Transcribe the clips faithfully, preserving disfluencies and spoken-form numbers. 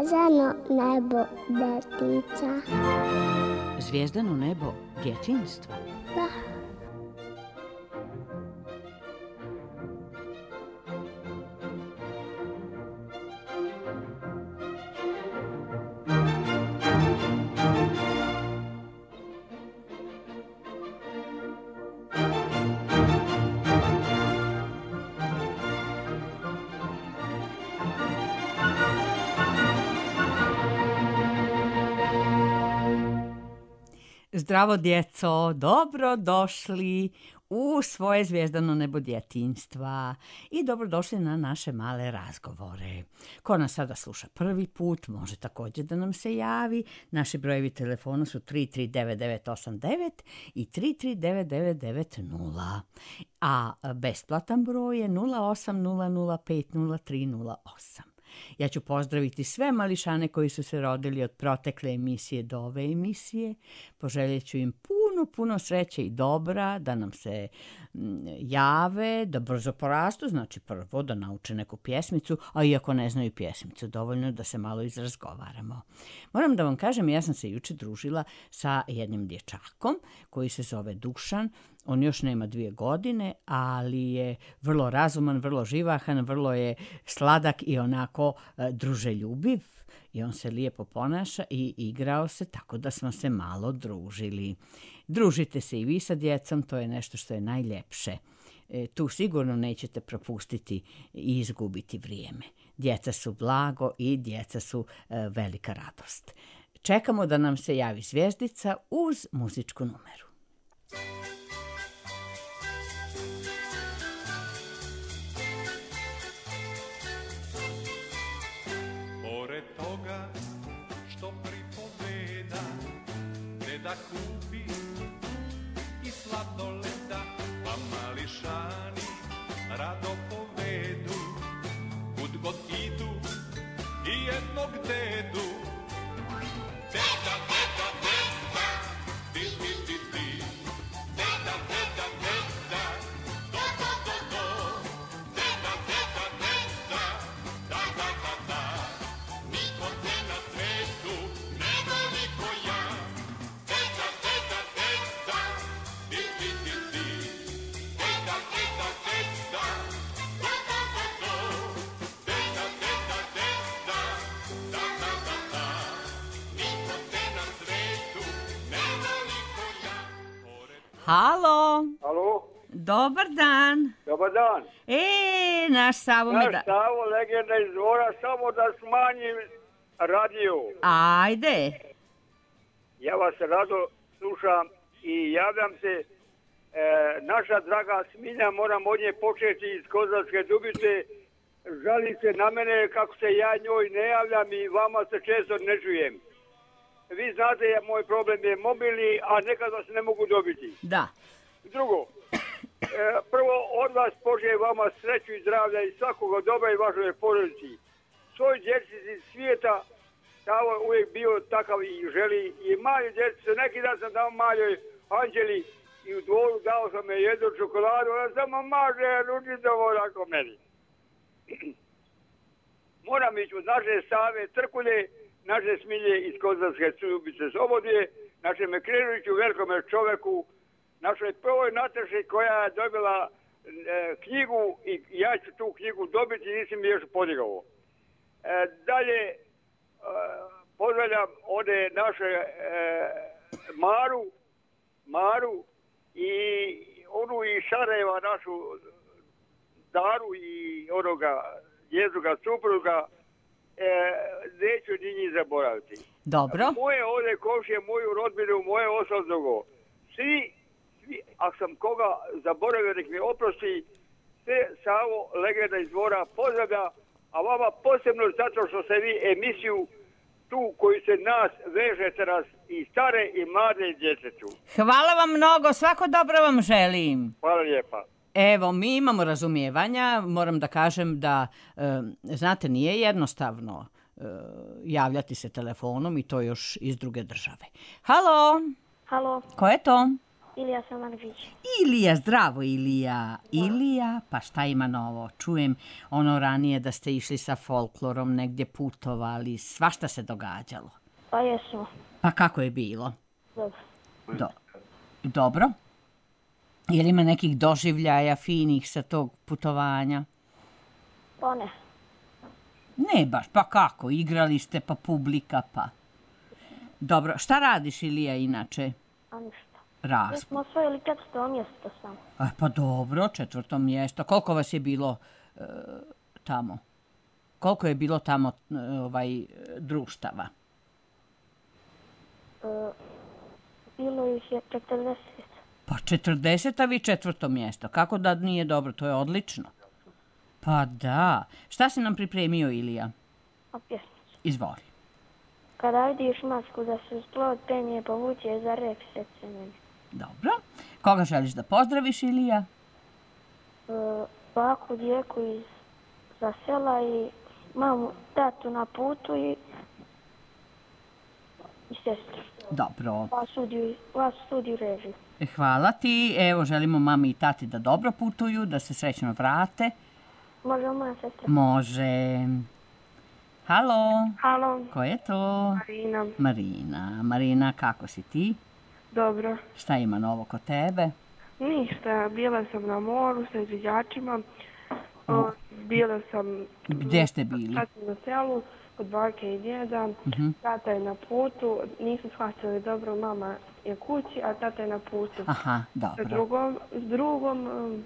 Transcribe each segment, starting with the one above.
Zvezdano nebo detica. Zvijezdano nebo djetinjstva? Da. Zdravo djeco, dobro došli u svoje zvijezdano nebo djetinjstva i dobrodošli na naše male razgovore. Ko nas sada sluša prvi put, može također da nam se javi. Naši brojevi telefona su tri tri devet devet osam devet i tri tri devet devet devet nula, a besplatan broj je nula osam nula nula pet nula tri nula osam. Ja ću pozdraviti sve mališane koji su se rodili od protekle emisije do ove emisije. Poželjet ću im puno, puno sreće i dobra, da nam se jave, da brzo porastu, znači prvo da nauče neku pjesmicu, a iako ne znaju pjesmicu, dovoljno da se malo izrazgovaramo. Moram da vam kažem, ja sam se juče družila sa jednim dječakom koji se zove Dušan. On još nema dvije godine, ali je vrlo razuman, vrlo živahan, vrlo je sladak i onako e, druželjubiv. I on se lijepo ponaša i igrao se, tako da smo se malo družili. Družite se i vi sa djecom, to je nešto što je najljepše. E, tu sigurno nećete propustiti i izgubiti vrijeme. Djeca su blago i djeca su e, velika radost. Čekamo da nam se javi zvijezdica uz muzičku numeru. Da kupi i sladoleda, pa mališani rado povedu, kud god idu i jednog dedu. Deda, deda, deda, di, di, di, di. Deda, deda, deda, do, do, do, do. Deda, deda, deda, da, da, da, da. Niko te na svetu ne voli ko ja. Halo. Halo. Dobar dan. Dobar dan. E, naš Savo mi da... Naš Savo, legenda iz Dvora, samo da smanjim radio. Ajde. Ja vas rado slušam i javljam se. E, naša draga Smilja, moram od nje početi iz Kozarske Dubice. Žali se na mene kako se ja njoj ne javljam i vama se često ne čujem. Vi znate, moj problem je mobilni, a nekad vas ne mogu dobiti. Da. Drugo, e, prvo od vas poželim vama sreću i zdravlja i svakoga dobra i vašoj porodici. Svoj djeci iz svijeta, Savo uvijek bio takav i želi. I mali djeci, neki dan sam dao maljoj Anđeli i u Dvoru dao sam je jednu čokoladu, ona samo maže ručitovo onako meni. Moram ići od naše Save Trkulje, naše Smilje iz Kozarske Dubice Slobodije, našem Krenoviću, velikome čoveku, našoj prvoj Nataši koja je dobila e, knjigu i ja ću tu knjigu dobiti, nisam mi još podigao. E, dalje, e, pozdravljam ovdje naše e, Maru, Maru i onu iz Sarajeva, našu Daru i onoga Jezuga supruga, e, neću ni njih zaboraviti. Dobro. Moje ovdje komšije, moju rodbinu, moje osobnogo. Svi, svi, ako sam koga zaboravio, nek mi oprosti, sve Savo, legenda iz Dvora, pozdravlja, a vama posebno zato što ste vi emisiju tu koju se nas vežete nas i stare i mlade djetetu. Hvala vam mnogo, svako dobro vam želim. Hvala lijepa. Evo, mi imamo razumijevanja, moram da kažem da, e, znate, nije jednostavno e, javljati se telefonom i to još iz druge države. Halo? Halo, Ko je to? Ilija Samardžić. Ilija, zdravo Ilija. Ilija, pa šta ima novo? Čujem ono ranije da ste išli sa folklorom, negdje putovali, svašta se događalo. Pa jesmo. Pa kako je bilo? Dobro. Do, dobro? Je li ima nekih doživljaja finih sa tog putovanja? Pa ne. Ne baš, pa kako? Igrali ste, pa publika, pa... Dobro, šta radiš Ilija inače? A ništa. Mi Raz. smo osvojili četvrto mjesto sam. A, pa dobro, četvrto mjesto. Koliko vas je bilo e, tamo? Koliko je bilo tamo e, ovaj, društava? E, bilo ih je četrdeset. Pa četrdeset, a vi četvrto mjesto. Kako da nije dobro? To je odlično. Pa da. Šta si nam pripremio, Ilija? A pjesmicu. Izvoli. Kada vidiš masku da se splod penje povuče za rep srce meni. Dobro. Koga želiš da pozdraviš, Ilija? E, baku, djeku iz za sela i mamu, tatu na putu i, i sestru. Dobro. Vas studiju, vas studiju režiju. Hvala ti. Evo, želimo mami i tati da dobro putuju, da se srećno vrate. Može moja sestra? Može. Halo, Halo, ko je to? Marina. Marina. Marina, kako si ti? Dobro. Šta ima novo kod tebe? Ništa, bila sam na moru sa izviđačima. O, bila sam... Gdje ste bili? Sad sam na selu, kod bake i djeda. Mhm. Tata je na putu, nisu shvatili dobro, mama je kući, a tata je na putu. Aha, Sa dobro. drugom, s drugom, um,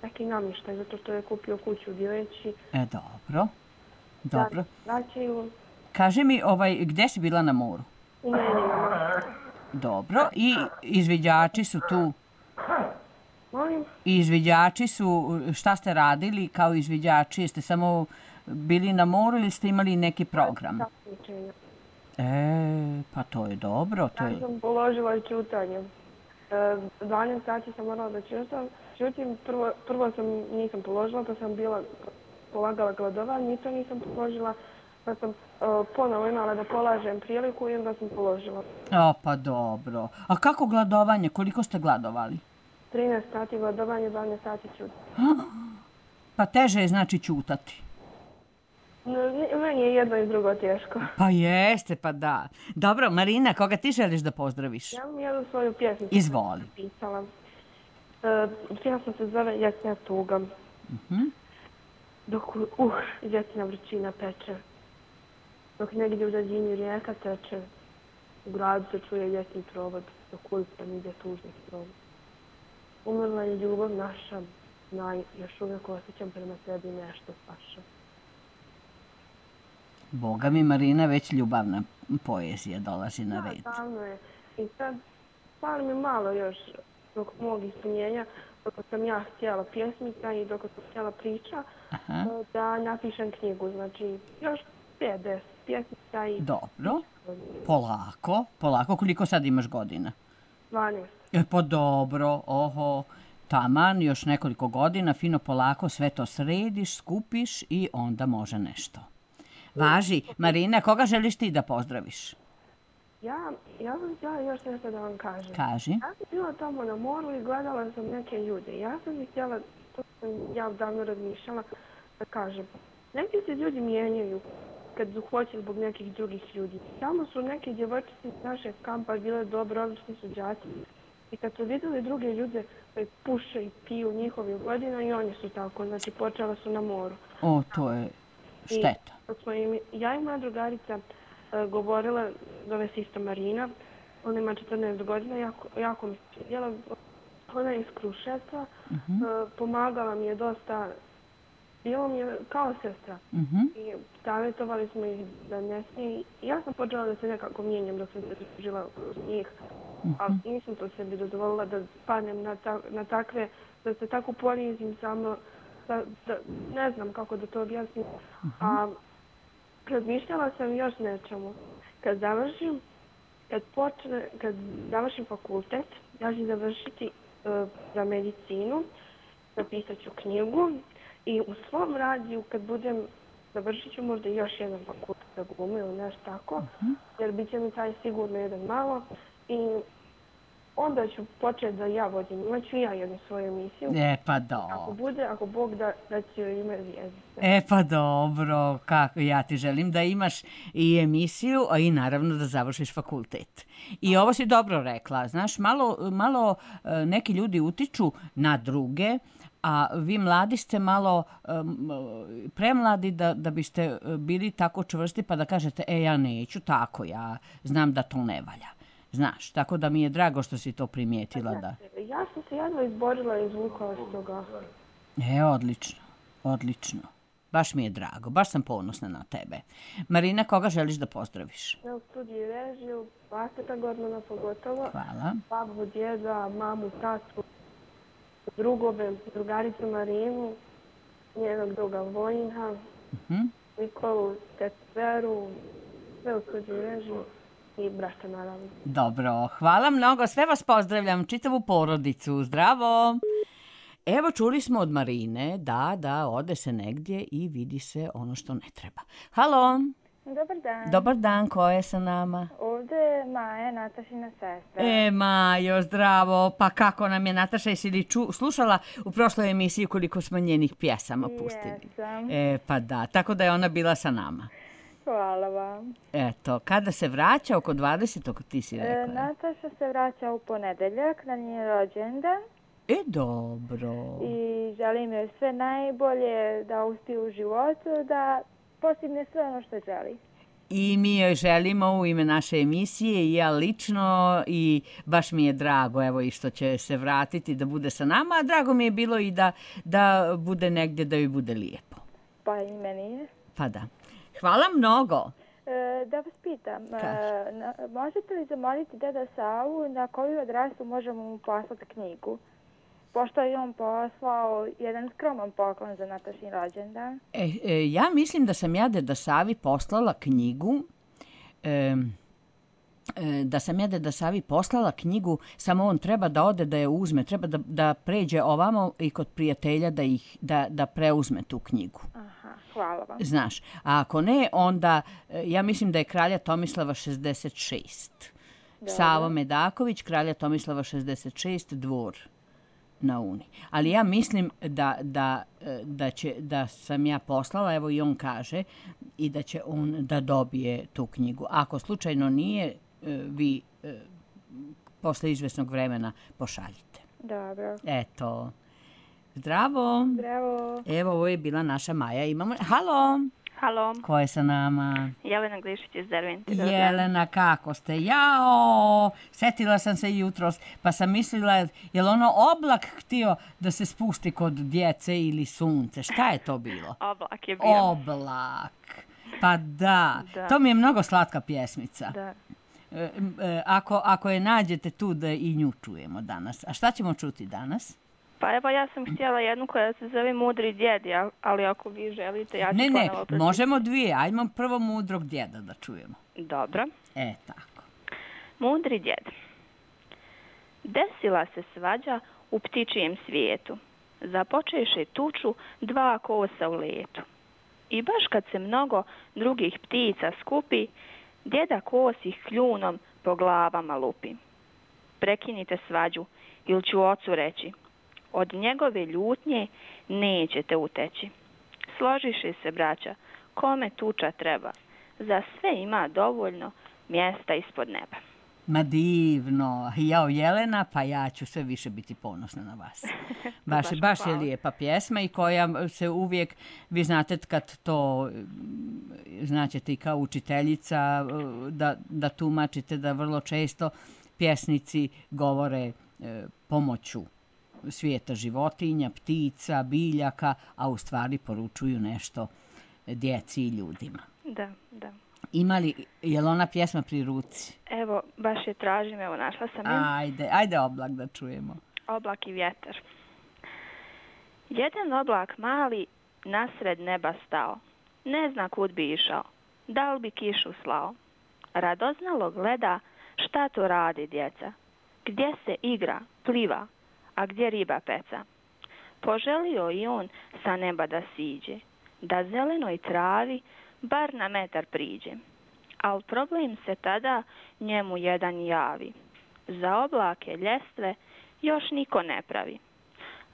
neki namještaj, zato što je kupio kuću u Dileći. E, dobro. Dobro. Vraćaju Kaži mi, ovaj, gdje si bila na moru? u Meninama. Dobro. I izviđači su tu? Molim? I izviđači su, šta ste radili kao izviđači? Jeste samo bili na moru ili ste imali neki program? Takmičenja. E, pa to je dobro. To Ja je... sam položila i čutanje. E, dvanaest sati sam morala da čutam. Čutim, prvo, prvo sam nisam položila, pa sam bila polagala gladovanje, i to nisam položila, pa sam uh, ponovo imala da polažem priliku i onda sam položila. O, pa dobro. A kako gladovanje? Koliko ste gladovali? trinaest sati gladovanje, dvanaest sati čutim. Pa teže je znači ćutati. Meni je jedno i drugo teško. Pa jeste, pa da. Dobro, Marina, koga ti želiš da pozdraviš? Ja vam jednu svoju pjesmu Izvoli. napisala. Uh, pjesma se zove Jesna tuga. Mhm. Dok, uh, jesna vrućina peče. Dok negdje u daljini rijeka teče, u gradu se čuje ljetni provod, dok ulicom ide tužni provod. Umrla je ljubav naša, znaj, još uvijek osjećam prema sebi nešto paša. Boga mi, Marina, već ljubavna poezija dolazi na red. Da, davno je. I sad, fali mi malo još dok mog ispunjenja, dok sam ja htjela pjesmica i dok sam htjela priča, Aha. da napišem knjigu. Znači, još pet deset pjesmica i Dobro. Polako, polako. Koliko sad imaš godina? dvanaest. E, pa dobro, oho, taman, još nekoliko godina, fino polako sve to središ, skupiš i onda može nešto. Važi, Marina, koga želiš ti da pozdraviš? Ja, ja sam htjela još nešto da vam kažem. Kaži. Ja sam bila tamo na moru i gledala sam neke ljude. Ja sam ih htjela, to sam ja davno razmišljala, da kažem. Neki se ljudi mijenjaju kad hoće zbog nekih drugih ljudi. Tamo su neke djevojčice iz našeg kampa bile dobro, odlični su đaci. I kad su vidjeli druge ljude koji puše i piju njihovih godina i oni su tako, znači počela su na moru. O, to je šteta. I smo im, ja i moja drugarica uh, govorila, zove se isto Marina, ona ima četrnaest godina, jako, jako mi se svidjela. Ona je iz Kruševca, Mhm. uh, pomagala mi je dosta, bilo mi je kao sestra. Mhm. I savjetovali smo ih da ne smije. Ja sam počela da se nekako mijenjam dok sam se žila uz njih, ali nisam to sebi dozvolila da padnem na, ta, na takve, da se tako ponizim samo, da, da, ne znam kako da to objasnim. A razmišljala sam još nečemu. Kad završim, kad počne, kad završim fakultet, ja ću završiti uh, za medicinu, napisat ću knjigu i u svom radiju kad budem, završit ću možda još jedan fakultet za glumu ili nešto tako, uh-huh. jer bit će mi taj sigurno jedan malo i onda ću početi da ja vodim, imaću ja jednu svoju emisiju. E pa dobro. Ako bude, ako Bog da, da će ime Zvijezdice. E pa dobro, kako ja ti želim da imaš i emisiju, a i naravno da završiš fakultet. I ovo si dobro rekla, znaš, malo, malo neki ljudi utiču na druge, a vi mladi ste malo um, premladi da, da biste bili tako čvrsti pa da kažete, e ja neću tako, ja znam da to ne valja. Znaš, tako da mi je drago što si to primijetila. Da. Ja sam se jedva izborila i izvukla s toga. E, odlično, odlično. Baš mi je drago, baš sam ponosna na tebe. Marina, koga želiš da pozdraviš? Ja u studiju režiju, Vaseta Gormana pogotovo. Hvala. Babu, djeda, mamu, tatu, drugove, drugaricu Marinu, njenog druga Vojina, uh-huh. Nikolu, Tetveru, sve u studiju režiju. I brata, naravno. Dobro, hvala mnogo, sve vas pozdravljam, čitavu porodicu, zdravo! Evo, čuli smo od Marine da, da, ode se negdje i vidi se ono što ne treba. Halo! Dobar dan. Dobar dan, ko je sa nama? Ovdje je Maja, Natašina sestra. E, Majo, zdravo, pa kako nam je Nataša, jesi li ču, slušala u prošloj emisiji koliko smo njenih pjesama pustili? Jesam. E, pa da, tako da je ona bila sa nama. Hvala vam. Eto, kada se vraća oko dvadesetog ti si rekla? E, Nataša se vraća u ponedeljak na njen rođendan. E, dobro. I želim joj sve najbolje, da uspije u životu, da postigne sve ono što želi. I mi joj želimo u ime naše emisije i ja lično i baš mi je drago evo i što će se vratiti da bude sa nama, a drago mi je bilo i da, da bude negdje da joj bude lijepo. Pa i meni je. Pa da. Hvala mnogo. E, da vas pitam, e, na, možete li zamoliti deda Savu na koju adresu možemo mu poslati knjigu? Pošto je on poslao jedan skroman poklon za Natašin rođendan. E, e, ja mislim da sam ja deda Savi poslala knjigu, e, e, da sam ja deda Savi poslala knjigu, samo on treba da ode da je uzme, treba da, da pređe ovamo i kod prijatelja da, ih, da, da preuzme tu knjigu. Aha, hvala vam. Znaš, a ako ne, onda ja mislim da je kralja Tomislava šezdeset šest. Dobre. Savo Medaković, kralja Tomislava šezdeset šest, dvor na Uni. Ali ja mislim da, da, da, će, da sam ja poslala, evo i on kaže, i da će on da dobije tu knjigu. Ako slučajno nije, vi posle izvesnog vremena pošaljite. Dobro. Eto. Zdravo. Zdravo. Evo, ovo je bila naša Maja. Imamo... Halo. Halo. Ko je sa nama? Jelena Glišić iz Dervente. Jelena, kako ste? Jao, setila sam se jutros, pa sam mislila, je li ono oblak htio da se spusti kod djece ili sunce? Šta je to bilo? Oblak je bio. Oblak. Pa da. da. To mi je mnogo slatka pjesmica. Da. E, e, ako, ako je nađete tu da i nju čujemo danas. A šta ćemo čuti danas? Pa evo ja sam htjela jednu koja se zove Mudri djedi, ali ako vi želite ja ću ne, ponovo Ne, pročitati. ne, možemo dvije. Ajmo prvo Mudrog djeda da čujemo. Dobro. E, tako. Mudri djed. Desila se svađa u ptičijem svijetu. Započeše tuču dva kosa u letu. I baš kad se mnogo drugih ptica skupi, djeda kos ih kljunom po glavama lupi. Prekinite svađu, ili ću ocu reći. Od njegove ljutnje nećete uteći. Složiše se, braća, kome tuča treba. Za sve ima dovoljno mjesta ispod neba. Ma divno. Jao, Jelena, pa ja ću sve više biti ponosna na vas. Baš, baš, baš je lijepa pjesma i koja se uvijek, vi znate kad to, znaćete i kao učiteljica, da, da tumačite da vrlo često pjesnici govore e, pomoću svijeta životinja, ptica, biljaka, a u stvari poručuju nešto djeci i ljudima. Da, da. Ima li, je li ona pjesma pri ruci? Evo, baš je tražim, evo našla sam je. Ajde, ajde oblak da čujemo. Oblak i vjetar. Jedan oblak mali nasred neba stao. Ne zna kud bi išao, da li bi kišu slao. Radoznalo gleda Šta to radi djeca? Gdje se igra, pliva, a gdje riba peca? Poželio i on sa neba da siđe, da zelenoj travi bar na metar priđe. Al problem se tada njemu jedan javi. Za oblake ljestve još niko ne pravi.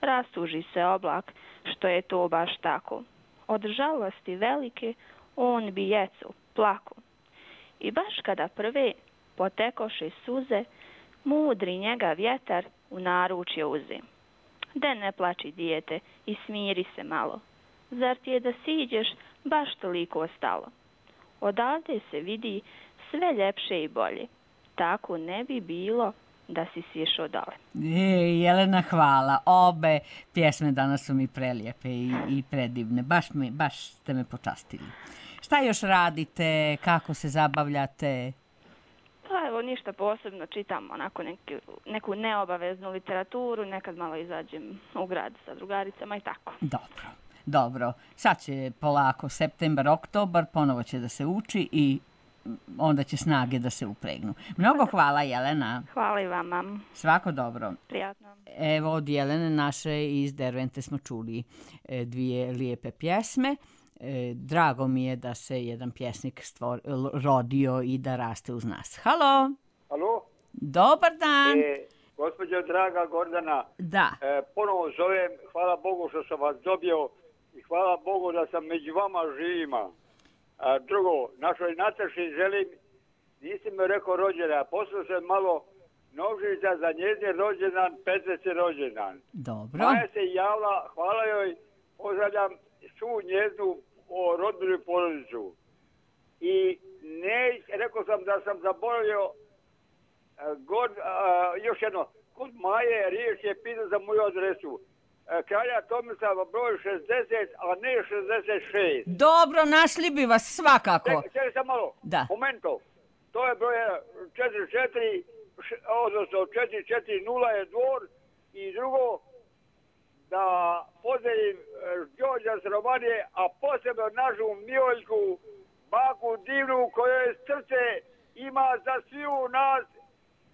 Rastuži se oblak što je to baš tako. Od žalosti velike on bi jecu plako. I baš kada prve potekoše suze, mudri njega vjetar u naručje uze. De ne plači dijete i smiri se malo. Zar ti je da siđeš baš toliko stalo? Odavde se vidi sve ljepše i bolje. Tako ne bi bilo da si sješao dole. E, Jelena, hvala. Obe pjesme danas su mi prelijepe i, i predivne. Baš, mi, baš ste me počastili. Šta još radite? Kako se zabavljate? Pa evo, ništa posebno. Čitam onako neki, neku neobaveznu literaturu. Nekad malo izađem u grad sa drugaricama i tako. Dobro, dobro. Sad će polako septembar, oktobar, ponovo će da se uči i onda će snage da se upregnu. Mnogo hvala, Jelena. Hvala i vama. Svako dobro. Prijatno. Evo, od Jelene naše iz Dervente smo čuli dvije lijepe pjesme. Drago mi je da se jedan pjesnik stvor, rodio i da raste uz nas. Halo? Halo? Dobar dan. E, gospođo draga Gordana, da. E, ponovo zovem, hvala Bogu što sam vas dobio i hvala Bogu da sam među vama živima. A drugo, našoj Nataši želim, nisi mi rekao rođena, poslao sam malo novžica za njezin rođendan, petdeseti rođendan. Dobro. Maja se javila, hvala joj, pozdravljam svu njeznu rodbinu i porodicu. I ne, rekao sam da sam zaboravio, god, a, još jedno, kod Maje riječ je pitao za moju adresu. Kralja Tomislava broj šezdeset, a ne šezdeset šest. Dobro, našli bi vas svakako. Čekaj sam malo. Da. Momento. To je broj četiri četiri, odnosno četiri četiri nula je dvor. I drugo, da pozdravim Đorđa s Romanije, a posebno našu Mijoljku, baku divnu, kojoj srce ima za sviju nas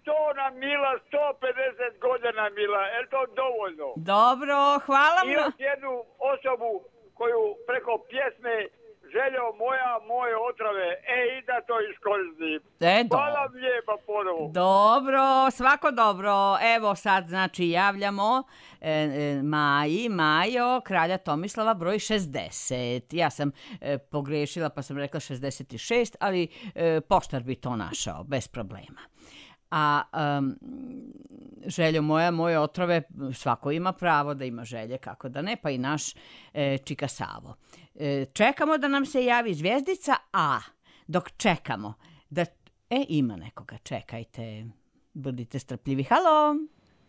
sto na Mila, sto pedeset godina Mila. Je to dovoljno? Dobro, hvala I još jednu osobu koju preko pjesme Željo moja, moje otrove. E, i da to iskoristim. E, hvala vam lijepa ponovo. Dobro, svako dobro. Evo sad, znači, javljamo e, e, Maji, Majo, kralja Tomislava, broj šezdeset. Ja sam e, pogrešila pa sam rekla šezdeset šest, ali e, poštar bi to našao, bez problema. A um, Željo moja, moje otrove, svako ima pravo da ima želje, kako da ne, pa i naš e, Čika Savo. E, čekamo da nam se javi zvijezdica, a dok čekamo, da... E, ima nekoga, čekajte, budite strpljivi. Halo?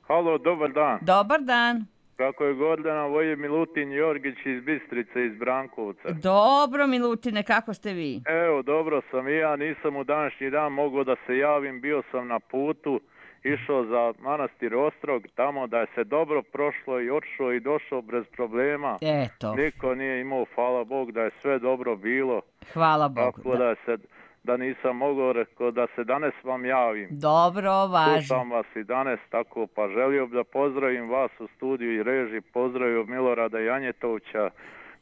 Halo, dobar dan. Dobar dan. Kako je Gordana, ovo je Milutin Jorgić iz Bistrice, iz Brankovca. Dobro, Milutine, kako ste vi? Evo, dobro sam i ja, nisam u današnji dan mogao da se javim, bio sam na putu, išao za manastir Ostrog, tamo da je se dobro prošlo i otišao i došao bez problema. Eto. Niko nije imao, hvala Bog, da je sve dobro bilo. Hvala Bogu. Tako da, da se... da nisam mogao, rekao da se danas vam javim. Dobro, važno. Slušam vas i danas, tako pa želio bi da pozdravim vas u studiju i reži, pozdravio Milorada Janjetovića,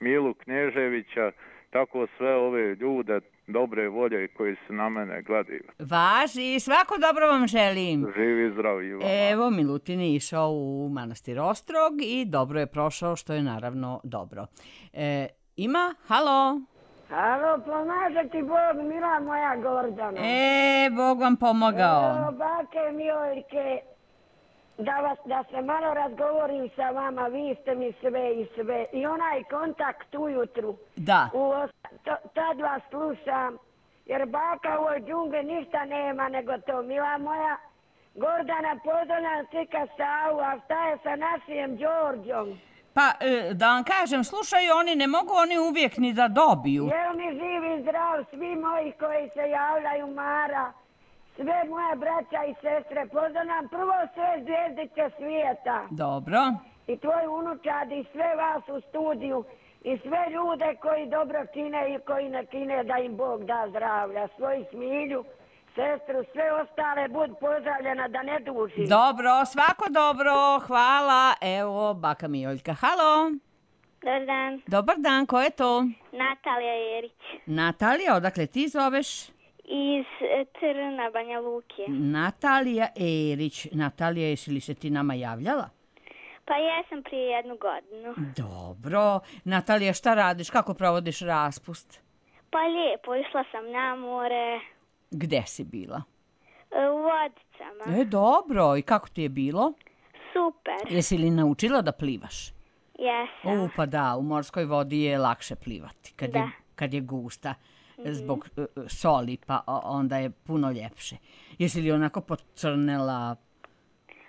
Milu Knježevića, tako sve ove ljude dobre volje koji se na mene gledaju. Važi, svako dobro vam želim. Živi zdravi vam. Evo, Milutin je išao u manastir Ostrog i dobro je prošao, što je naravno dobro. E, ima? Halo? Halo, pomaže ti Bog, mila moja Gordana. E, Bog vam pomogao. Evo, bake Mijoljke, da, vas, da se malo razgovorim sa vama, vi ste mi sve i sve. I onaj kontakt ujutru. Da. U, to, tad vas slušam, jer baka u ovoj džungli ništa nema nego to, mila moja. Gordana, pozdravljam Čika Savu, a šta je sa našim Đorđom? Pa, da vam kažem, slušaju oni, ne mogu oni uvijek ni da dobiju. Jel mi živi zdrav, svi moji koji se javljaju, Mara, sve moje braća i sestre, pozdravljam prvo sve zvijezdice svijeta. Dobro. I tvoj unučad i sve vas u studiju i sve ljude koji dobro čine i koji ne čine, da im Bog da zdravlja. Svoju Smilju, sestru, sve ostale, bud pozdravljena da ne duži. Dobro, svako dobro, hvala. Evo, baka Mijoljka. Halo. Dobar dan. Dobar dan, ko je to? Natalija Jerić. Natalija, odakle ti zoveš? Iz e, Trna, Banja Luke. Natalija Erić. Natalija, jesi li se ti nama javljala? Pa jesam prije jednu godinu. Dobro. Natalija, šta radiš? Kako provodiš raspust? Pa lijepo, išla sam na more. Gde si bila? E, u Vodicama. E, dobro. I kako ti je bilo? Super. Jesi li naučila da plivaš? Jesam. U, pa da, u morskoj vodi je lakše plivati. Kad, Da. je, kad je gusta. Zbog uh, soli, pa o- onda je puno ljepše. Jesi li onako pocrnela?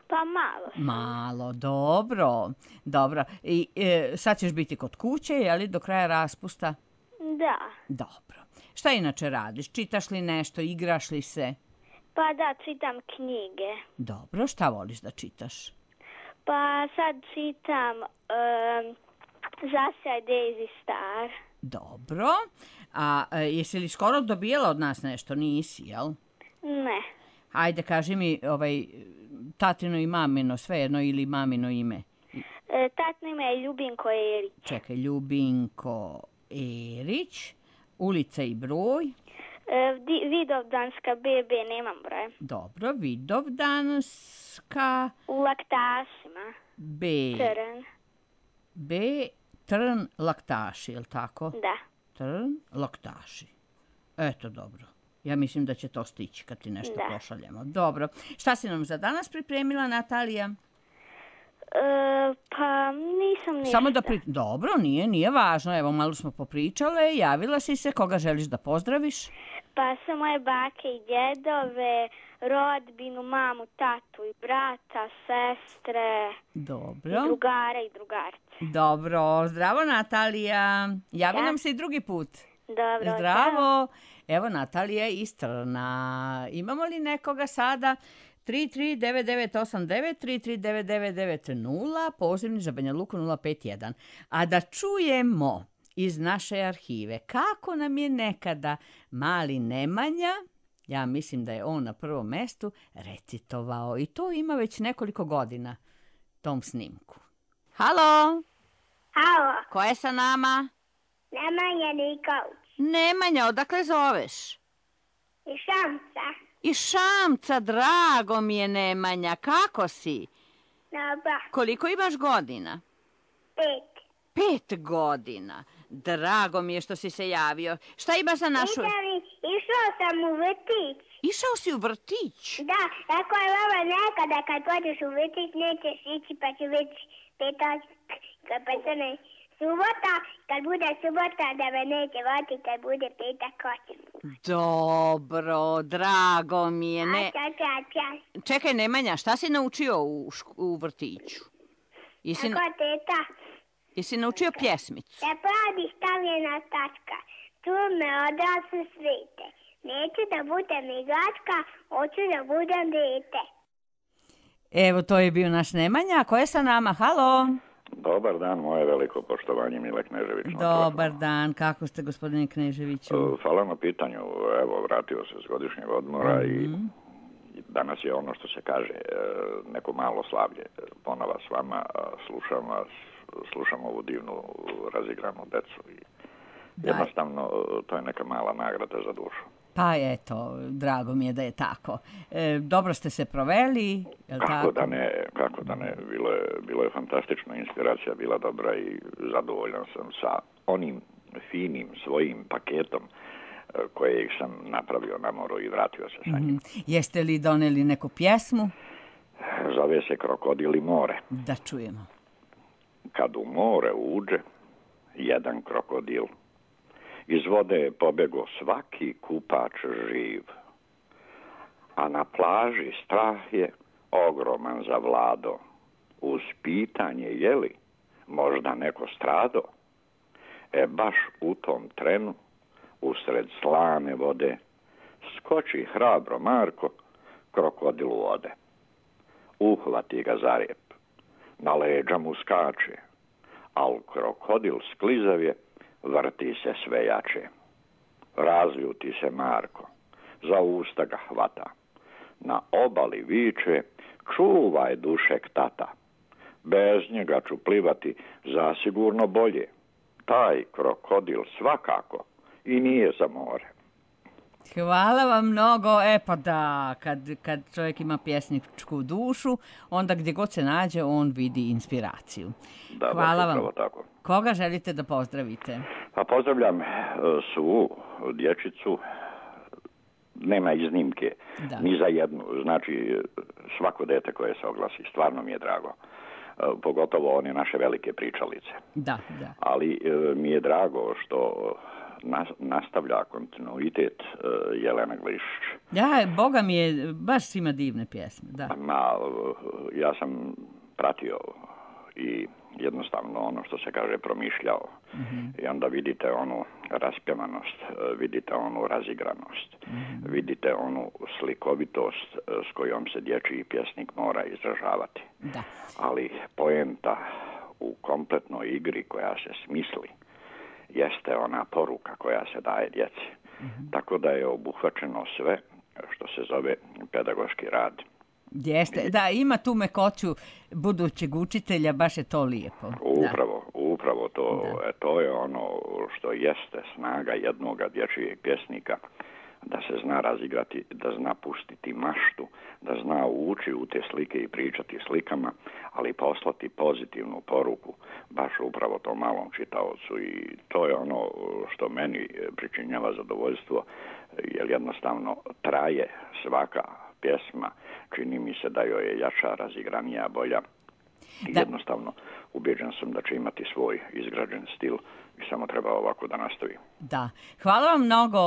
Pa malo sam. Malo, dobro. Dobro. I e, sad ćeš biti kod kuće, je li, do kraja raspusta? Da. Dobro. Šta inače radiš? Čitaš li nešto? Igraš li se? Pa da, čitam knjige. Dobro. Šta voliš da čitaš? Pa sad čitam um, Zasjaj Daisy Star. Dobro. A e, jesi li skoro dobijela od nas nešto? Nisi, jel? Ne. Ajde, kaži mi ovaj, tatino i mamino, svejedno, ili mamino ime. E, tatno ime je Ljubinko Erić. Čekaj, Ljubinko Erić, ulica i broj. E, di, Vidovdanska B B, nemam broja. Dobro, Vidovdanska U Laktašima. B. Trn. B. Trn Laktaši, je li tako? Da. Trn Laktaši. Eto, dobro. Ja mislim da će to stići kad ti nešto Da. pošaljemo. Dobro. Šta si nam za danas pripremila, Natalija? E, pa nisam ništa. Samo da pri... Dobro, nije, nije važno. Evo, malo smo popričale. Javila si se. Koga želiš da pozdraviš? Pa sve moje bake i djedove, rodbinu, mamu, tatu i brata, sestre, Dobro. i drugara i drugarce. Dobro. Zdravo, Natalija. Javi Da. nam se i drugi put. Dobro. Zdravo. Evo, Natalija iz Trna. Imamo li nekoga sada? tri tri devet devet osam devet, tri tri devet devet devet nula, pozivni za Banja Luku nula pet jedan. A da čujemo iz naše arhive kako nam je nekada mali Nemanja, ja mislim da je on na prvom mestu, recitovao. I to ima već nekoliko godina, tom snimku. Halo, Halo, ko je sa nama? Nemanja Nikolić Nemanja, odakle zoveš? iz Šamca. Iz Šamca, drago mi je, Nemanja. Kako si? Dobro, Koliko imaš godina? pet. Pet godina. Drago mi je što si se javio. Šta imaš za našu... Išao sam u vrtić. Išao si u vrtić? Da, tako je mama nekada kad pođeš u vrtić nećeš ići pa će već petak, kad pa se ne subota, kad bude subota da me neće vati, kad bude petak hoćem. Dobro, drago mi je. Ne... Ča, ča, ča. Čekaj, Nemanja, šta si naučio u, šk- u vrtiću? Jesi, Tako teta, jesi naučio pjesmicu? da pravi stavljena tačka, tu me odrasle svete. Neću da budem igračka, hoću da budem dete. Evo, to je bio naš Nemanja. A ko je sa nama? Halo? Dobar dan, moje veliko poštovanje, Mile Knežević. na Dobar telefonu. dan. Kako ste, gospodine Kneževiću? E, Hvala na pitanju. Evo, vratio se s godišnjeg odmora i i danas je ono što se kaže e, neko malo slavlje. Ponova s vama, a slušam vas, slušam ovu divnu razigranu decu i Da. jednostavno e, to je neka mala nagrada za dušu. Pa eto, drago mi je da je tako. E, dobro ste se proveli, je li Kako tako? da ne, kako da ne, bilo je, bilo je fantastično, inspiracija bila dobra i zadovoljan sam sa onim finim svojim paketom e, kojeg sam napravio na moru i vratio se sa njim. Mhm. Jeste li doneli neku pjesmu? Zove se Krokodil i more. Da čujemo. Kad u more uđe jedan krokodil, iz vode je pobego svaki kupač živ, a na plaži strah je ogroman zavlado. Uz pitanje je li možda neko strado, e baš u tom trenu, usred slane vode, skoči hrabro Marko, krokodilu ode. Uhvati ga za rep, na leđa mu skače, al krokodil sklizav je, vrti se sve jače. Razljuti se Marko, za usta ga hvata. Na obali viče, čuvaj dušek tata. Bez njega ću plivati zasigurno bolje. Taj krokodil svakako i nije za more. Hvala vam mnogo. E pa da, kad, kad čovjek ima pjesničku dušu, onda gdje god se nađe, on vidi inspiraciju. Da, Hvala baš vam. Tako. Koga želite da pozdravite? Pa pozdravljam svu dječicu, nema iznimke, da. Ni za jednu. Znači, svako dete koje se oglasi, stvarno mi je drago. Pogotovo one naše velike pričalice. Da, da. Ali mi je drago što nastavlja kontinuitet Jelena Glišić. Ja, Boga mi je, baš ima divne pjesme, da. Ma, ja sam pratio i jednostavno ono što se kaže promišljao. Mm-hmm. I onda vidite onu raspjevanost, vidite onu razigranost, mm-hmm. vidite onu slikovitost s kojom se dječji pjesnik mora izražavati. Da. Ali poenta u kompletnoj igri koja se smisli jeste ona poruka koja se daje djeci. Mm-hmm. Tako da je obuhvaćeno sve što se zove pedagoški rad. Jeste, da, ima tu mekoću budućeg učitelja, baš je to lijepo. Upravo, da. upravo to, e, to je ono što jeste snaga jednoga dječjeg pjesnika, da se zna razigrati, da zna pustiti maštu, da zna ući u te slike i pričati slikama, ali poslati pozitivnu poruku baš upravo tom malom čitaocu i to je ono što meni pričinjava zadovoljstvo, jer jednostavno traje svaka pjesma, čini mi se da joj je jača, razigranija, bolja. I jednostavno ubeđen sam da će imati svoj izgrađen stil i samo treba ovako da nastavi. Da. Hvala vam mnogo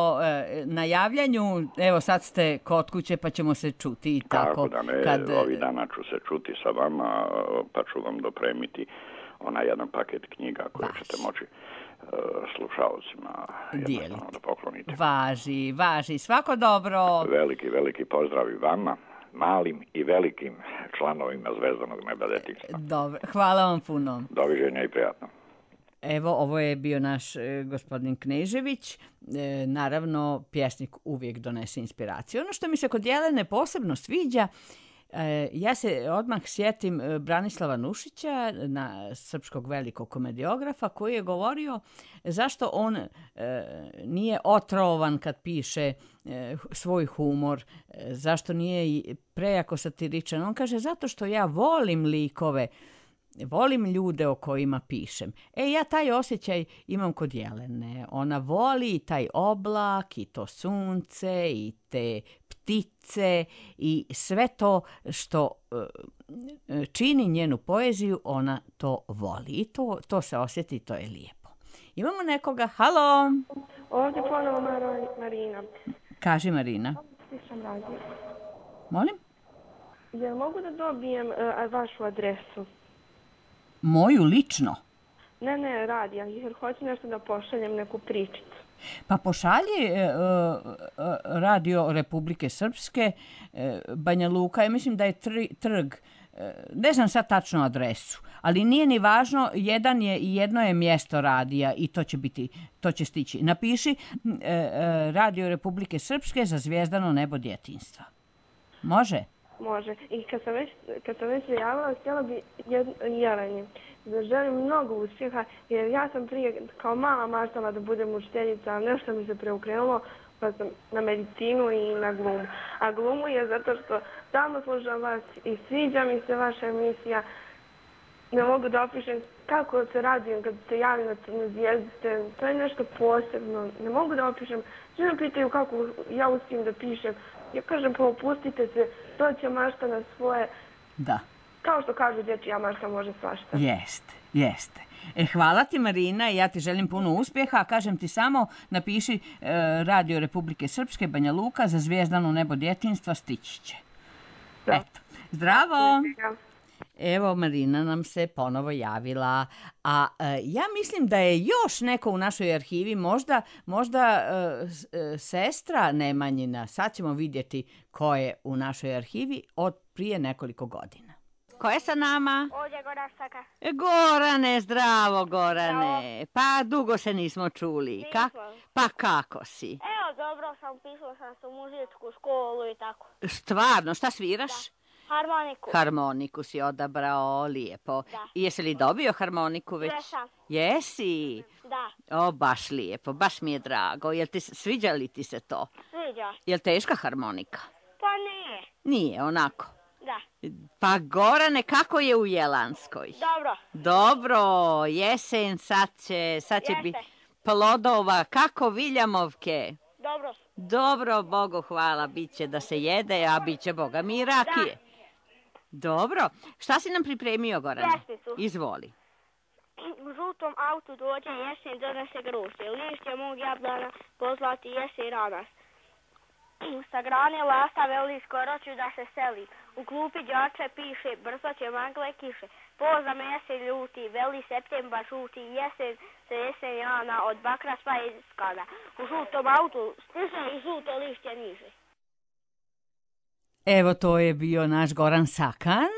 na javljanju. Evo sad ste kod kuće pa ćemo se čuti. Tako, tako da ne, kad... ovih dana ću se čuti sa vama pa ću vam dopremiti onaj jedan paket knjiga koje Vaš. ćete moći slušalcima jednostavno da poklonite. Važi, važi. Svako dobro. Veliki, veliki pozdrav i vama, malim i velikim članovima Zvezdanog neba detinjstva. Dobro, hvala vam puno. Doviđenja i prijatno. Evo, ovo je bio naš e, gospodin Knežević. E, naravno, pjesnik uvijek donese inspiraciju. Ono što mi se kod Jelene posebno sviđa, e, ja se odmah sjetim Branislava Nušića, na srpskog velikog komediografa, koji je govorio zašto on e, nije otrovan kad piše e, svoj humor, e, zašto nije prejako satiričan. On kaže, zato što ja volim likove, volim ljude o kojima pišem. E, ja taj osjećaj imam kod Jelene. Ona voli taj oblak i to sunce i te ptice i sve to što uh, čini njenu poeziju, ona to voli. I to, to se osjeti, to je lijepo. Imamo nekoga. Halo! Ovdje ponovo Marina. Kaži, Marina. Slušam radio. Molim? Jel mogu da dobijem uh, vašu adresu? Moju lično? Ne, ne, radija, jer hoću nešto da pošaljem, neku pričicu. Pa pošalji e, Radio Republike Srpske, e, Banja Luka, ja mislim da je tri, trg, e, ne znam sad tačno adresu, ali nije ni važno, jedan je i jedno je mjesto radija i to će biti, to će stići. Napiši e, e, Radio Republike Srpske za Zvijezdano nebo djetinjstva. Može? Može. I kad sam već, kad sam već javila, htjela bi Jeleni da želim mnogo uspjeha, jer ja sam prije kao mala maštala da budem učiteljica, ali nešto mi se preokrenulo, pa sam na medicinu i na glumu. A glumu je zato što stalno slušam vas i sviđa mi se vaša emisija. Ne mogu da opišem kako se radujem kad se javim na Crne zvijezde. To je nešto posebno. Ne mogu da opišem. Svi me pitaju kako ja uspijem da pišem. Ja kažem, pa opustite se, to će mašta na svoje. Da. Kao što kažu dječja mašta može svašta. Jeste, jeste. E, hvala ti, Marina, i ja ti želim puno uspjeha, a kažem ti samo napiši e, Radio Republike Srpske, Banja Luka, za Zvijezdano nebo djetinjstva, stići će. Da. Eto. Zdravo! Evo, Marina nam se ponovo javila, a e, ja mislim da je još neko u našoj arhivi, možda, možda e, e, sestra Nemanjina, sad ćemo vidjeti ko je u našoj arhivi od prije nekoliko godina. Ko je sa nama? Ovdje Goran Staka. Gorane, zdravo Gorane. Zdravo. Pa dugo se nismo čuli. Nismo. Ka, pa kako si? Evo Evo, dobro sam, pisala sam se u muzičku školu i tako. Stvarno, šta sviraš? Da. Harmoniku. Harmoniku si odabrao, lijepo. Da. I jesi li dobio harmoniku već? Jesam. Jesi? Da. O, baš lijepo, baš mi je drago. Jel ti, sviđa li ti se to? Sviđa. Jel teška harmonika? Pa nije. Nije, onako. Da. Pa Gorane, kako je u Jelanskoj? Dobro. Dobro, jesen sad će, sad će biti plodova, kako Viljamovke? Dobro. Dobro, Bogu hvala, bit će da se jede, a bit će Boga mi i rakije. Da. Dobro, šta si nam pripremio, Gorane? Pjesmicu. Izvoli. U žutom autu dođe jesen, donese grožđe, lišće mog jablana pozlati jesen ranas. Sa grane lasta veli skoro ću da se seli. U klupi đače piše, brzo će magle kiše. Poza mese ljuti, veli septembar žuti, jesen se jesen jana, od bakra sva iskada. U žutom autu stiže i žuto lišće niže. Evo, to je bio naš Goran Sakan.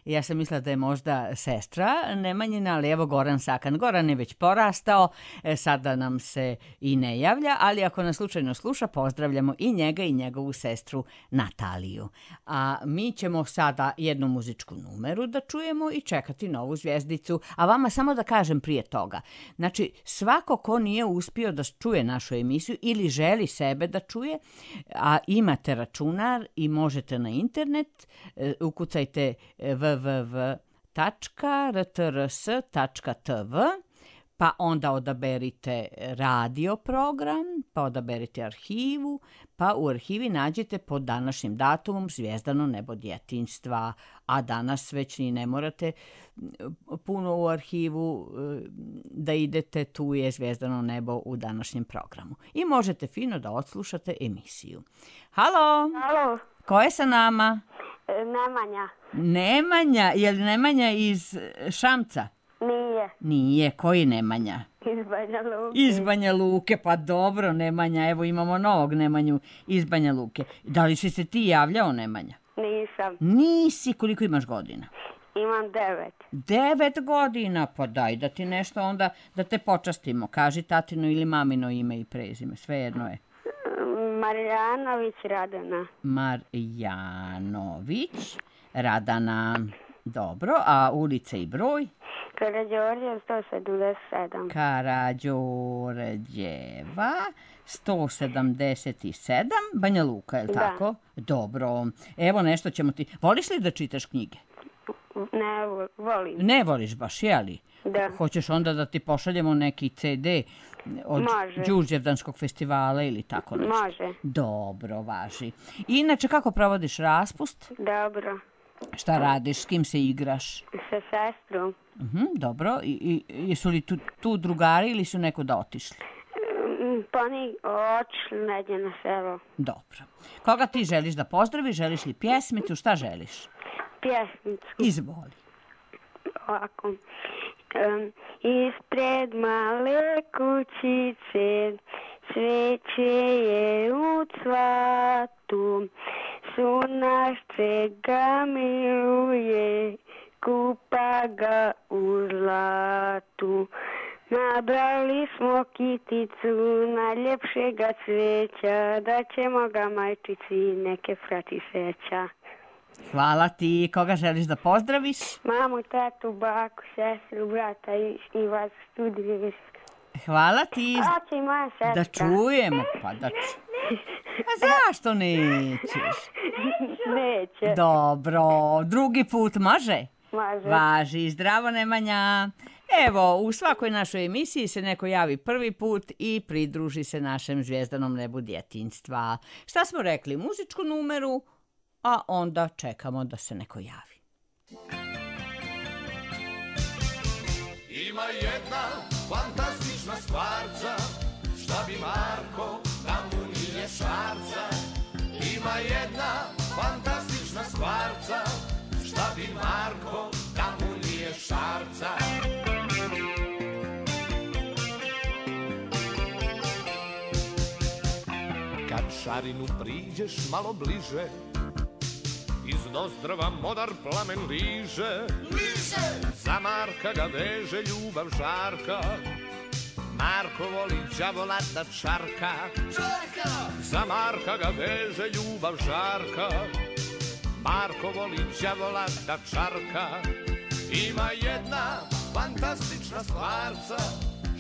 Ja sam mislila da je možda sestra Nemanjina, ali evo Goran Sakan. Goran je već porastao, sada nam se i ne javlja, ali ako nas slučajno sluša, pozdravljamo i njega i njegovu sestru Nataliju. A mi ćemo sada jednu muzičku numeru da čujemo i čekati novu zvjezdicu. A vama samo da kažem prije toga. Znači, svako ko nije uspio da čuje našu emisiju ili želi sebe da čuje, a imate računar i možete na internet, ukucajte w w w tačka r t r s tačka t v, pa onda odaberite radio program, pa odaberite arhivu, pa u arhivi nađete pod današnjim datumom Zvijezdano nebo djetinjstva, a danas već ni ne morate puno u arhivu da idete, tu je Zvijezdano nebo u današnjem programu. I možete fino da odslušate emisiju. Halo! Halo! Ko je sa nama? Nemanja. Nemanja, je li Nemanja iz Šamca? Nije. Nije, koji Nemanja? Iz Banja Luke. Iz Banja Luke, pa dobro Nemanja, evo imamo novog Nemanju iz Banja Luke. Da li si se ti javljao, Nemanja? Nisam. Nisi, koliko imaš godina? Imam devet. Devet godina, pa daj da ti nešto onda, da te počastimo. Kaži tatino ili mamino ime i prezime, svejedno je. Marjanović Radana. Marjanović Radana. Dobro, a ulica i broj? Karađorđeva sto sedamdeset sedam. Karađorđeva sto sedamdeset sedam. Banja Luka, je li da. Tako? Dobro. Evo nešto ćemo ti... Voliš li da čitaš knjige? Ne volim. Ne voliš baš, jeli? Da. Hoćeš onda da ti pošaljemo neki ce de od Đurđevdanskog festivala ili tako nešto? Može. Dobro, važi. Inače, kako provodiš raspust? Dobro. Šta radiš, s kim se igraš? Sa sestrom. Uh-huh, dobro, I, i, jesu li tu, tu drugari ili su neko da otišli? Pa ni otišli negdje na selo. Dobro. Koga ti želiš da pozdraviš? Želiš li pjesmicu? Šta želiš? Pjesmicu. Izvoli. Ovako. Um, ispred male kućice cveće je u cvatu, sunašce ga miluje, kupa ga u zlatu. Nabrali smo kiticu najljepšega cveća, da ćemo ga majčici neke frati seća. Hvala ti. Koga želiš da pozdraviš? Mamu, tatu, baku, sestru, brata i, i vas studiju. Hvala ti. Hoće i moja sestra. Da čujemo, pa da čujemo. A zašto nećeš? Neće. Dobro, drugi put može? Može. Važi, zdravo Nemanja. Evo, u svakoj našoj emisiji se neko javi prvi put i pridruži se našem Zvijezdanom nebu djetinjstva. Šta smo rekli? Muzičku numeru, a onda čekamo da se neko javi. Ima jedna fantastična stvarca, šta bi Marko da mu nije šarca. Ima jedna fantastična stvarca, šta bi Marko da mu nije šarca. Kad šarinu priđeš malo bliže, iz nozdrva modar plamen liže. Liže! Za Marka ga veže ljubav žarka, Marko voli đavola da čarka, čarka! Za Marka ga veže ljubav žarka. Marko voli đavola da čarka. Ima jedna fantastična stvarca,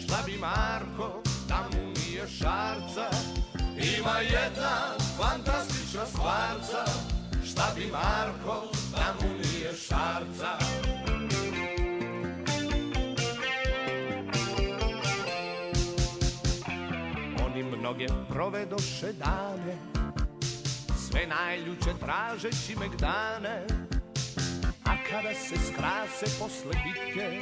šta bi Marko da mu nije šarca. Ima jedna fantastična stvarca, šta bi Marko da mu nije šarca. Oni mnoge provedoše dane, sve najljuče tražeći megdane, a kada se skrase posle bitke,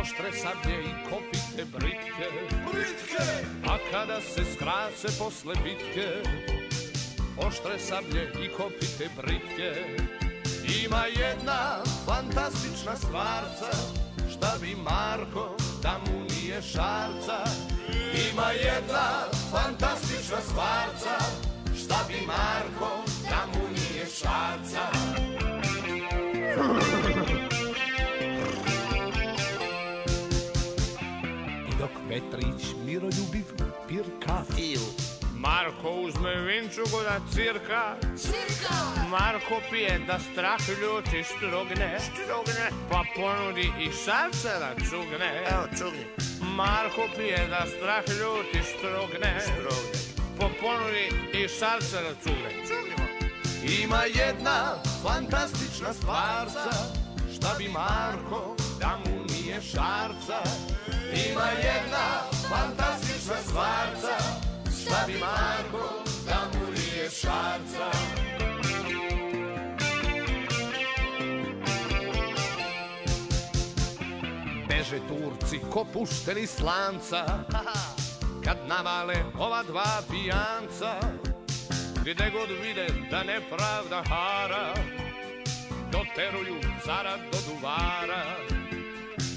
oštre sablje i kopite britke, britke! A kada se skrase posle bitke, oštre sablje i kopite britke, ima jedna fantastična stvarca, šta bi Marko da mu nije šarca. Ima jedna fantastična stvarca, šta bi Marko da mu nije šarca. I dok Petrić miroljubiv pirka, Marko uzme vinčugu da cirka, cirka! Marko pije da strah ljuti strugne, strugne! Pa ponudi i srce da cugne, evo cugne. Marko pije da strah ljuti strugne, strugne! Pa ponudi i srce da cugne, cugnimo! Ima jedna fantastična stvarca, šta bi Marko da mu nije šarca. Ima jedna fantastična stvarca, šta bi Marko da mu nije šarca. Beže Turci ko pušteni s lanca, kad navale ova dva pijanca, gde god vide da nepravda hara, doteruju cara do duvara.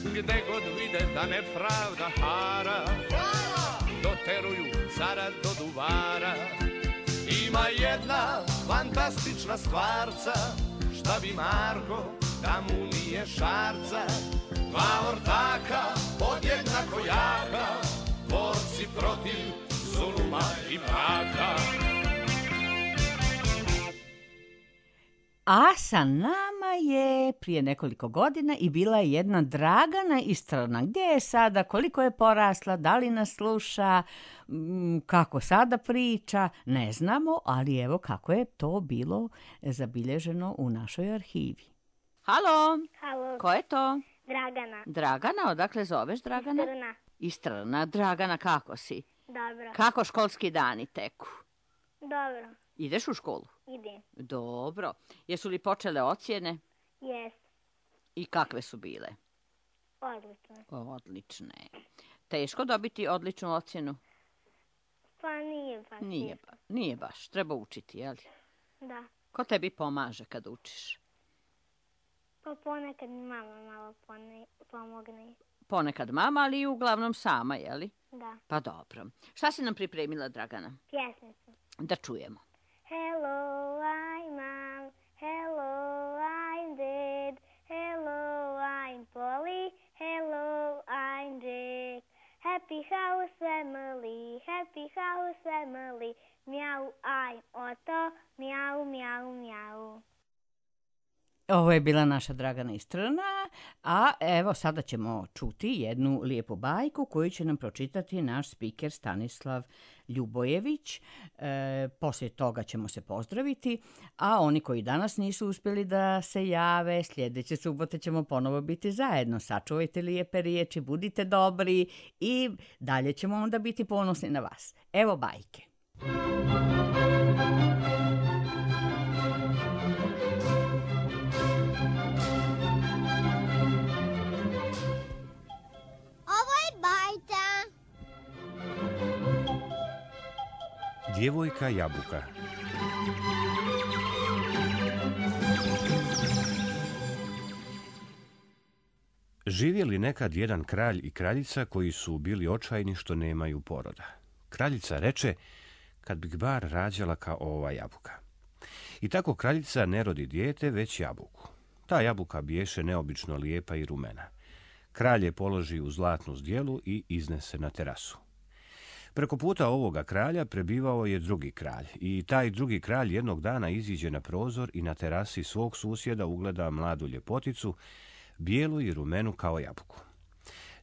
Gde god vide da nepravda hara, doteruju cara do duvara. Ima jedna fantastična stvarca, šta bi Marko da mu nije šarca. Dva ortaka podjednako jaka, borci protiv zuluma i mraka. A sa nama je prije nekoliko godina i bila je jedna Dragana Istrana. Gdje je sada, koliko je porasla, da li nas sluša, kako sada priča, ne znamo, ali evo kako je to bilo zabilježeno u našoj arhivi. Halo? Halo. Ko je to? Dragana. Dragana, odakle zoveš Dragana? Istrana. Istrana. Dragana, kako si? Dobro. Kako školski dani teku? Dobro. Ideš u školu? Idem. Dobro. Jesu li počele ocjene? Jes. I kakve su bile? Odlično. Odlične. Teško dobiti odličnu ocjenu? Pa nije baš. Nije, ba, nije baš. Treba učiti, jel? Da. Ko tebi pomaže kad učiš? Pa ponekad mi mama malo pone, pomogne. Ponekad mama, ali i uglavnom sama, jeli? Da. Pa dobro. Šta si nam pripremila, Dragana? Pjesmicu. Da čujemo. Hello, I'm mom. Hello, I'm dad. Hello, I'm Polly. Hello, I'm Jack. Happy house family, happy house family. Meow, I'm Otto. Meow, meow, meow. Ovo je bila naša Dragana Istrana, a evo sada ćemo čuti jednu lijepu bajku koju će nam pročitati naš spiker Stanislav Ljubojević. E, poslije toga ćemo se pozdraviti, a oni koji danas nisu uspjeli da se jave, sljedeće subote ćemo ponovo biti zajedno. Sačuvajte lijepe riječi, budite dobri i dalje ćemo onda biti ponosni na vas. Evo bajke. Djevojka jabuka. Živjeli nekad jedan kralj i kraljica koji su bili očajni što nemaju poroda. Kraljica reče, kad bih bar rađala kao ova jabuka. I tako kraljica ne rodi dijete, već jabuku. Ta jabuka biješe neobično lijepa i rumena. Kralj je položi u zlatnu zdjelu i iznese na terasu. Preko puta ovoga kralja prebivao je drugi kralj i taj drugi kralj jednog dana iziđe na prozor i na terasi svog susjeda ugleda mladu ljepoticu, bijelu i rumenu kao jabuku.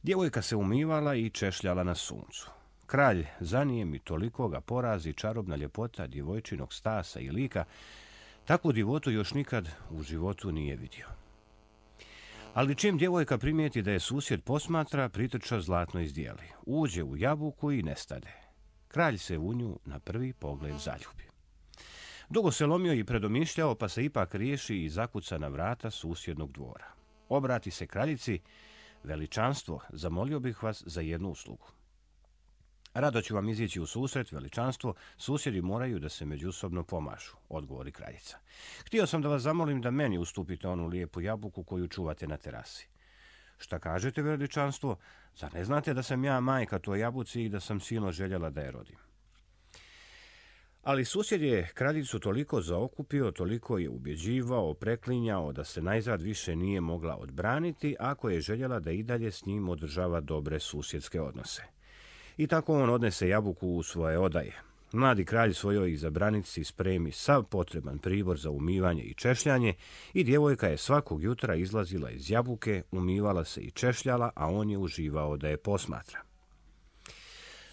Djevojka se umivala i češljala na suncu. Kralj zanijem i toliko ga porazi čarobna ljepota djevojčinog stasa i lika, takvu divotu još nikad u životu nije vidio. Ali čim djevojka primijeti da je susjed posmatra, pritrča zlatnoj zdjeli. Uđe u jabuku i nestade. Kralj se u nju na prvi pogled zaljubi. Dugo se lomio i predomišljao, pa se ipak riješi i zakuca na vrata susjednog dvora. Obrati se kraljici: veličanstvo, zamolio bih vas za jednu uslugu. Rado ću vam izići u susret, veličanstvo, susjedi moraju da se međusobno pomažu, odgovori kraljica. Htio sam da vas zamolim da meni ustupite onu lijepu jabuku koju čuvate na terasi. Šta kažete, veličanstvo? Zar ne znate da sam ja majka toj jabuci i da sam silno željela da je rodim? Ali susjed je kraljicu toliko zaokupio, toliko je ubjeđivao, preklinjao da se najzad više nije mogla odbraniti ako je željela da i dalje s njim održava dobre susjedske odnose. I tako on odnese jabuku u svoje odaje. Mladi kralj svojoj izabranici spremi sav potreban pribor za umivanje i češljanje i djevojka je svakog jutra izlazila iz jabuke, umivala se i češljala, a on je uživao da je posmatra.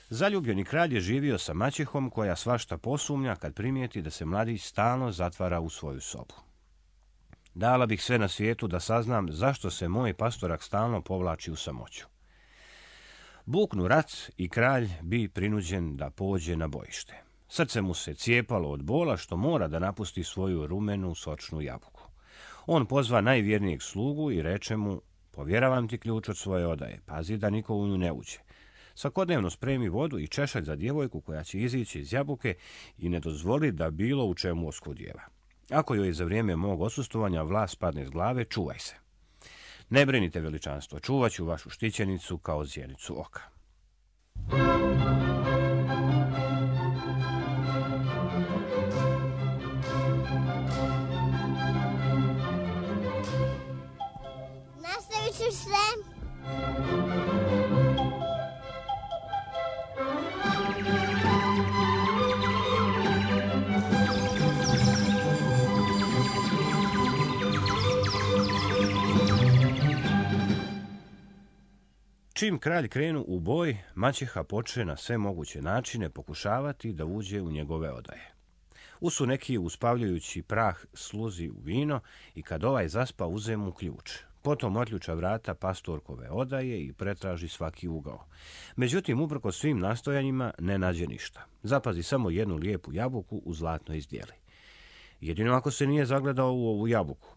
Zaljubljeni kralj je živio sa maćehom koja svašta posumnja kad primijeti da se mladić stalno zatvara u svoju sobu. Dala bih sve na svijetu da saznam zašto se moj pastorak stalno povlači u samoću. Buknu rat i kralj bi prinuđen da pođe na bojište. Srce mu se cijepalo od bola što mora da napusti svoju rumenu sočnu jabuku. On pozva najvjernijeg slugu i reče mu: povjeravam ti ključ od svoje odaje, pazi da niko u nju ne uđe. Svakodnevno spremi vodu i češalj za djevojku koja će izići iz jabuke i ne dozvoli da bilo u čemu oskudijeva. Ako joj za vrijeme mog odsustvovanja vlas padne s glave, čuvaj se. Ne brinite, veličanstvo, čuvat ću vašu štićenicu kao zjenicu oka. Nastavit ću se. Čim kralj krenu u boj, maćeha poče na sve moguće načine pokušavati da uđe u njegove odaje. Usu neki uspavljajući prah sluzi u vino i kad ovaj zaspa uze mu ključ. Potom otključa vrata pastorkove odaje i pretraži svaki ugao. Međutim, uprkos svim nastojanjima ne nađe ništa. Zapazi samo jednu lijepu jabuku u zlatnoj zdjeli. Jedino ako se nije zagledao u ovu jabuku.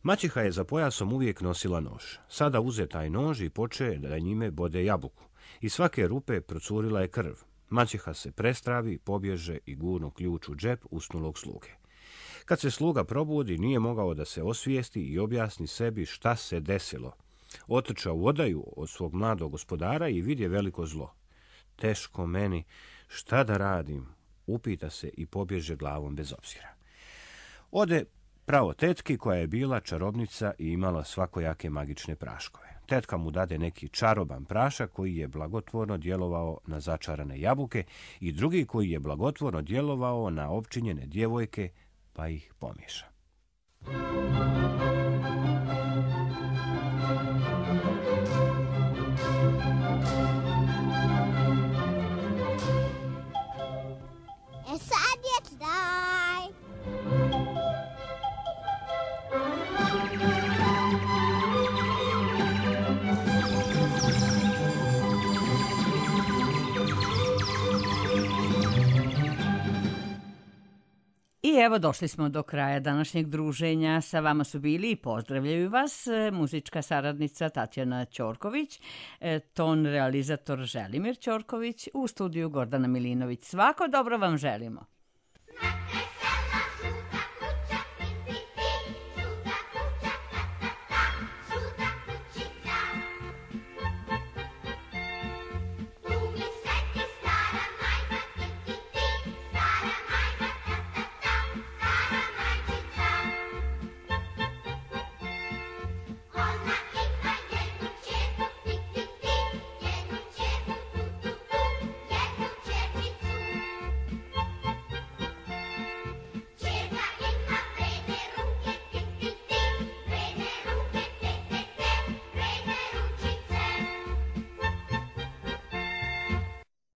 Maćeha je za pojasom uvijek nosila nož. Sada uze taj nož i poče da njime bode jabuku. Iz svake rupe procurila je krv. Maćeha se prestravi, pobježe i gurnu ključ u džep usnulog sluge. Kad se sluga probudi, nije mogao da se osvijesti i objasni sebi šta se desilo. Otrča u odaju od svog mladog gospodara i vidje veliko zlo. Teško meni, šta da radim? Upita se i pobježe glavom bez obzira. Ode pravo tetki koja je bila čarobnica i imala svakojake magične praškove. Tetka mu dade neki čaroban prašak koji je blagotvorno djelovao na začarane jabuke i drugi koji je blagotvorno djelovao na opčinjene djevojke, pa ih pomiješa. E sad je kraj. I evo došli smo do kraja današnjeg druženja. Sa vama su bili i pozdravljaju vas muzička saradnica Tatjana Ćorković, ton realizator Želimir Ćorković, u studiju Gordana Milinović. Svako dobro vam želimo.